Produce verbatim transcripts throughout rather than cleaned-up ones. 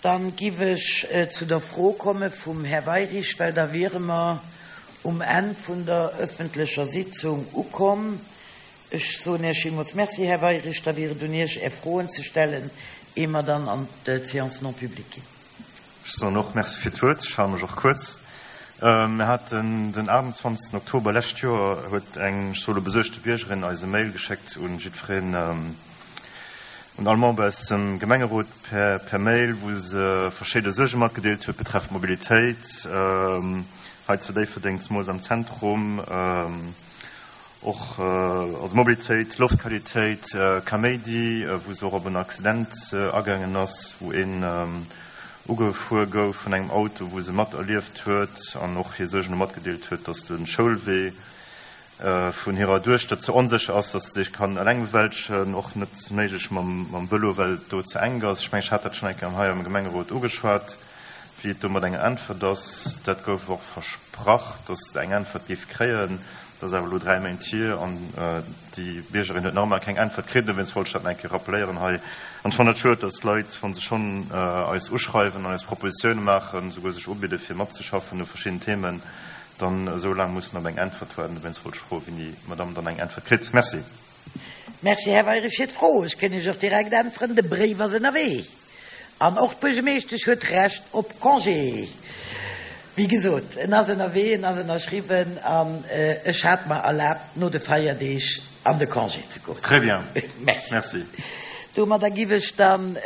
Dann giff ech zu der Fro komme vum Här Weirich, well da wiere mer um Enn vun der öffentlecher Sitzung ukomm. Ech soen Iech villmools Merci, Här Weirich. Da wier et un Iech, Är Froen ze stellen, ier mer dann an d'Séance non publique ginn. Ech soen och Merci fir d'Wuert. Ech hale mech och kuerz. Mir haten den aachtundzwanzegsten Oktober lescht Joer huet eng, ech soe lo besuergte Biergerin eis e Mail geschéckt un jiddwereen, un all Member aus dem Gemengerot per per Mail, wou se verschidde Suerge matgedeelt huet betreffend Mobilitéit hei zu Déifferdeng, zemools am Zentrum, och also Mobilitéit, Loftqualitéit, Kaméidi, wou se och op en Accident agaangen ass, wou een ugefuer gouf vun engem Auto, wou se materlieft huet an och hir Suergen elo matgedeelt huet, dass de Schoulwee vun hirer Duechter ze onsécher ass, dass se sech kann eleng bewältegen, och net méiglech mam Vëlo, well et do ze enk ass. Ech mengen, ech hat dat schonn eng Kéier hei am Gemengerot ugeschwat, wéi et do mat enger Äntwert ass. Dat gouf och versprach, dass eng Äntwert géif kréien. Dat ass awer elo dräi Méint hier an déi Biergerin huet nach ëmmer keng Äntwert kritt. Dowéinst wollt ech dat nach eng Kéier rappeléieren hei. An ech fannen et schued, dass d'Leit, wa se schonn eis uschreiwen an eis Propositioune maachen, souguer sech ubidde fir matzeschaffen u verschiddenen Themen, dann esou laang mussen op eng Äntwert waarden. Dowéinst wollt ech froen, wéini d'Madame dann eng Äntwert kritt. Merci. Merci, Här Weirich, fir d'Fro. Ech kënn Iech och direkt äntweren, De Bréif ass ënnerwee. An och d'Buergermeeschtesch huet Recht op Congé. Wéi gesot, en ass ënnerwee, en ass ënnerschriwwen an ech hat mer erlaabt, no de Feierdeeg an de Congé ze goen. Très bien. Merci. Merci. Domadder giff ech dann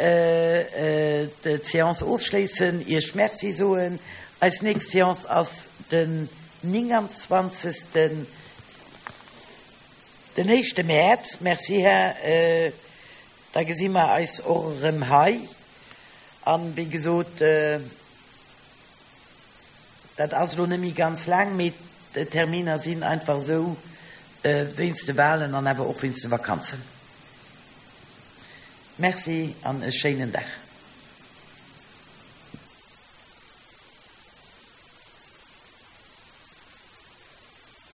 d'Séance ofschléissen, Iech Merci soen. Eis nächst Séance ass den nénganzwanzegsten, den éischte Mäerz. Merci, Här. Da gesi mer eis och erëm hei. An, wéi gesot, dat ass elo net méi ganz laang, mee d'Terminer sinn einfach esou wéinst de Wahlen an awer och wéinst de Vakanzen. Merci an e schéinen Dag.